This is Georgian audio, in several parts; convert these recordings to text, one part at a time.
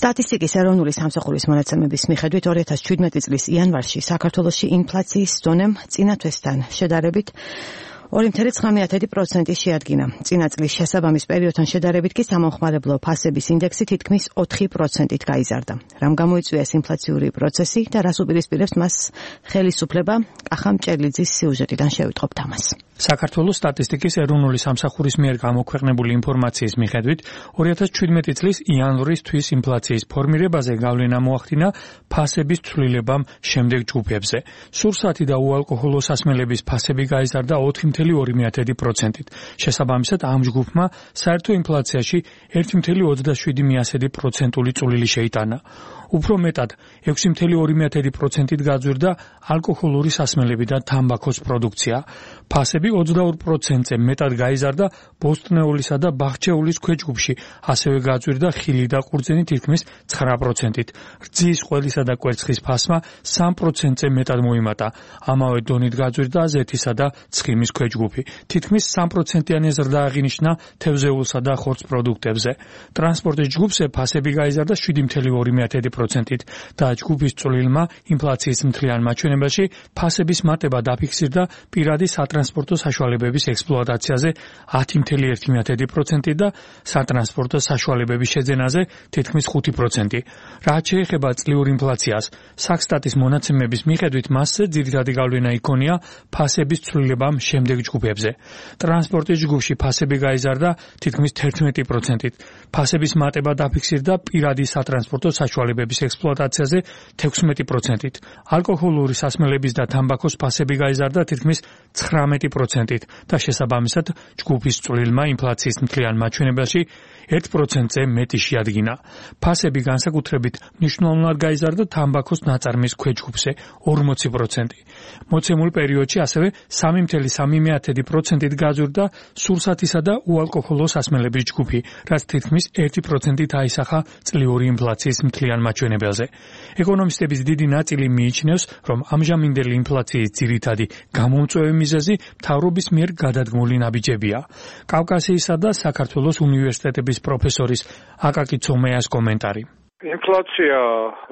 სტატისტიკის ეროვნული სამსახურის მონაცემების მიხედვით 2017 წლის იანვარში საქართველოში ინფლაციის დონემ წინა თვესთან შედარებით 2.9% შეადგინა. წინა წლის შესაბამის პერიოდთან შედარებით კი სამომხმარებლო ფასების ინდექსი თითქმის 4%-ით გაიზარდა. რამ გამოიწვია ეს ინფლაციური პროცესი და რას უპირისპირებს მას ხელისუფლება? კახა მჭერლიძის სიუჟეტიდან შევიტყობთ ამას. საქართველოს სტატისტიკის ეროვნული სამსახურის მიერ გამოქვეყნებული ინფორმაციის მიხედვით 2017 წლის იანვრის თვის ინფლაციის ფორმირებაზე გავლენა მოახდინა ფასების ცვლილებამ შემდეგ ჯგუფებზე. სურსათი და უალკოჰოლო სასმელების ფასები გაიზარდა 4.2%-ით. შესაბამისად ამ ჯგუფმა საერთო ინფლაციაში 1.27% წვლილი შეიტანა. უფრო მეტად 6.2%-ით გაძვირდა ალკოჰოლური სასმელები და თამბაქოს პროდუქცია. ფასები 22%-ზე მეტად გაიზარდა ბოსტნეულისა და ბახჩეულის ქვეჯგუფში, ასევე გაძვირდა ხილი და ყურძენი თითქმის 9%-ით. რძის, ყველისა და კვერცხის ფასმა 3%-ზე მეტად მოიმატა. ამავე დონით გაძვირდა ზეთისა და ცხიმის ქვეჯგუფი. თითქმის 3%-იანი ზრდა აღინიშნა თევზეულსა და ხორცს პროდუქტებზე. ტრანსპორტის ჯგუფზე ფასები გაიზარდა 7.2%-ით და ჯგუფის წვლილმა ინფლაციის მთლიან მაჩვენებელში ფასების მატება დაფიქსირდა პირადი სატრანსპორტო საშუალებების ექსპლუატაციაზე 10.1% და სატრანსპორტო საშუალებების შეძენაზე თითქმის 5%. რაც შეეხება წლიურ ინფლაციას, საქსტატის მონაცემების მიხედვით მასზე ძირითადი გავლენა იქონია ფასების ცვლილებამ შემდეგ ჯგუფებზე. ტრანსპორტის ჯგუფში ფასები გაიზარდა თითქმის 11%-ით. ფასების მატება დაფიქსირდა პირადი სატრანსპორტო საშუალებების ექსპლუატაციაზე 16%-ით. ალკოჰოლური სასმელების და თამბაქოს ფასები გაიზარდა თითქმის 19%-ით და შესაბამისად ჯგუფის წვლილმა ინფლაციის მთლიან მაჩვენებელში 1%-ზე მეტი შეადგინა. ფასები განსაკუთრებით მნიშვნელოვნად გაიზარდა თამბაქოს ნაწარმის ქვეჯგუფზე 40%. მოცემულ პერიოდში ასევე 3.3%-ით გაძვირდა სურსათისა და უალკოჰოლო სასმელების ჯგუფი, რაც თითქმის 1%-ით აისახა წლიური ინფლაციის მთლიან მაჩვენებელზე. ეკონომისტების დიდი ნაწილი მიიჩნევს, რომ ამჟამინდელი ინფლაციის ძირითადი გამომწვევი მიზეზი მთავრობის მიერ გადადგმული ნაბიჯებია. კავკასიისა და საქართველოს უნივერსიტეტების პროფესორის აკაკი ცომეას კომენტარი. ინფლაცია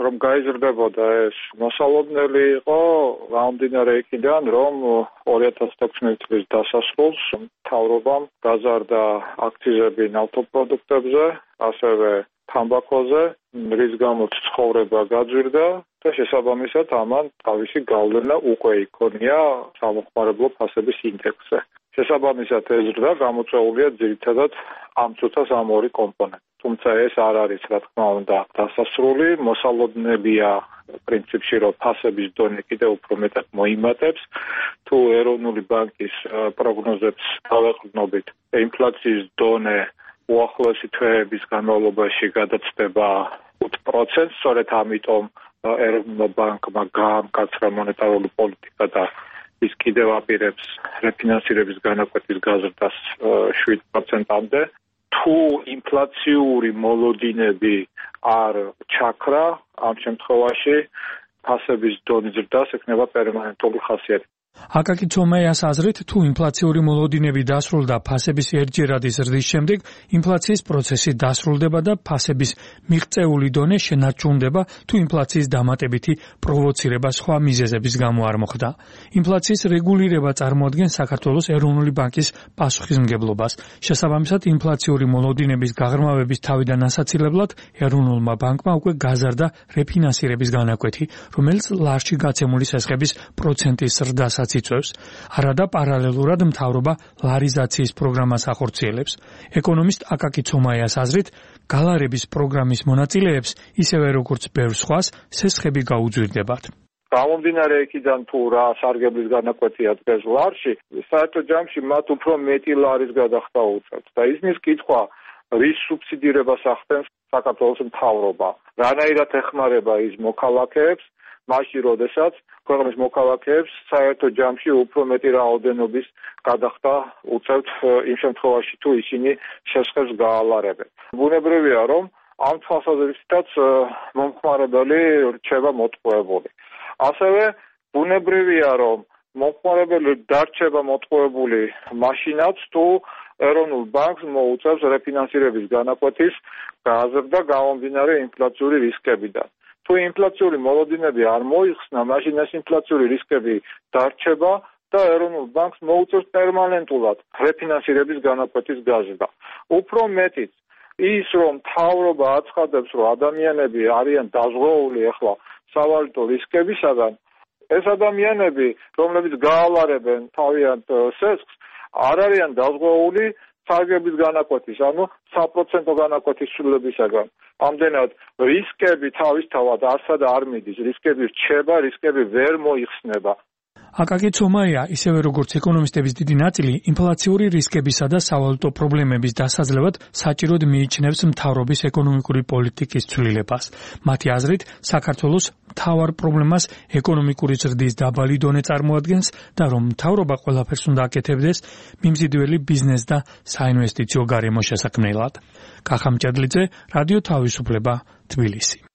რომ გაიზრდებოდა ეს მოსალოდნელი იყო გამომდინარე იქიდან, რომ 2016 წლის დასასრულს მთავრობამ გაზარდა აქციზები ნავთობპროდუქტებზე, ასევე თამბაქოზე, რის გამოც ცხოვრება გაძვირდა და შესაბამისად ამან თავისი გავლენა უკვე იქონია სამომხმარებლო ფასების ინდექსზე. შესაბამისად ეს ზრდა გამოწვეულია ძირითადად ამ წუთას ამ ორი კომპონენტი. თუმცა ეს არ არის, რა თქმა უნდა, დასასრული, მოსალოდნელია პრინციპში, რომ ფასების დონე კიდევ უფრო მეტად მოიმატებს. თუ ეროვნული ბანკის პროგნოზებს დავეყრდნობით, ინფლაციის დონე უახლოესი თვეების განმავლობაში გადაცდება 5%, სწორედ ამიტომ ეროვნულ ბანკმა გაამკაცრა მონეტარული პოლიტიკა და ის კიდევ აპირებს რეფინანსირების განაკვეთის გაზრდას 7%-მდე. თუ ინფლაციური მოლოდინები არ ჩაქრა, ამ შემთხვევაში ფასების დონის ზრდას ექნება პერმანენტული ხასიათი. აკაკი ცომეას აზრით, თუ ინფლაციური მოლოდინები დასრულდა ფასების ერთჯერადი ზრდის შემდეგ, ინფლაციის პროცესი დასრულდება და ფასების მიღწეული დონე შენარჩუნდება, თუ ინფლაციის დამატებითი პროვოცირება სხვა მიზეზების გამო არ მოხდა. ინფლაციის რეგულირება წარმოადგენს საქართველოს ეროვნული ბანკის პასუხისმგებლობას. შესაბამისად, ინფლაციური მოლოდინების გაღრმავების თავიდან ასაცილებლად ეროვნულმა ბანკმა უკვე გაზარდა რეფინანსირების განაკვეთი, რომელიც ლარჩი გაცემული სესხების პროცენტის ზრდას იწვევს. არადა პარალელურად მთავრობა ლარიზაციის პროგრამას ახორციელებს. ეკონომისტ აკაკი ცომაიას აზრით, გალარების პროგრამის მონაწილეებს, ისევე როგორც ბევრ სხვას, სესხები გაუძვირდებათ. გამომდინარე იქიდან თუ რა სარგებლის განაკვეთია დღეს ლარში, საერთო ჯამში მათ უფრო მეტი ლარის გადახდა უწევთ და ისმის კითხვა, რის სუბსიდირებას ახდენს საქართველოს მთავრობა, რანაირად ეხმარება ის მოქალაქეებს, მაშინ როდესაც ქვეყნის მოქალაქეებს საერთო ჯამში უფრო მეტი რაოდენობის გადახდა უწევთ იმ შემთხვევაში თუ ისინი შესხებს გაალარებენ. ბუნებრივია, რომ ამ თვალსაზრისითაც მომხმარებელი რჩება მოტყუებული. ასევე ბუნებრივია, რომ მომხმარებელი დარჩება მოტყუებული მაშინაც თუ ეროვნულ ბანკს მოუწევს რეფინანსირების განაკვეთის გაზრდა გამომდინარე ინფლაციური რისკებიდან. თუ ინფლაციური მოლოდინები არ მოიხსნა, მაშინ ეს ინფლაციური რისკები დარჩება და ეროვნულ ბანკს მოუწევს პერმანენტულად რეფინანსირების განაკვეთის გაზრდა. უფრო მეტიც, ის რომ მთავრობა აცხადებს, რომ ადამიანები არიან დაზღვეული ახლა სავალუტო რისკებისაგან, ეს ადამიანები, რომლებიც გაალარებენ თავიანთ სესხს, არ არიან დაზღვეული სარგების განაკვეთის, ანუ 100% განაკვეთის ცვლილებისაგან. ამდენად რისკები თავისთავად არსა და არ მიდის, რისკები რჩება, რისკები ვერ მოიხსნება. აკაკი ცომაია, ისევე როგორც ეკონომისტების დიდი ნაწილი, ინფლაციური რისკებისა და სავალუტო პრობლემების დასაძლევად საჭიროდ მიიჩნევს მთავრობის ეკონომიკური პოლიტიკის ცვლილებას. მათი აზრით, საქართველოს მთავარ პრობლემას ეკონომიკური ზრდის დაბალი დონე წარმოადგენს და რომ მთავრობა ყველაფერს უნდა აკეთებდეს მიმზიდველი ბიზნეს და საინვესტიციო გარემოს შესაქმნელად. კახა მჭედლიძე, რადიო თავისუფლება, თბილისი.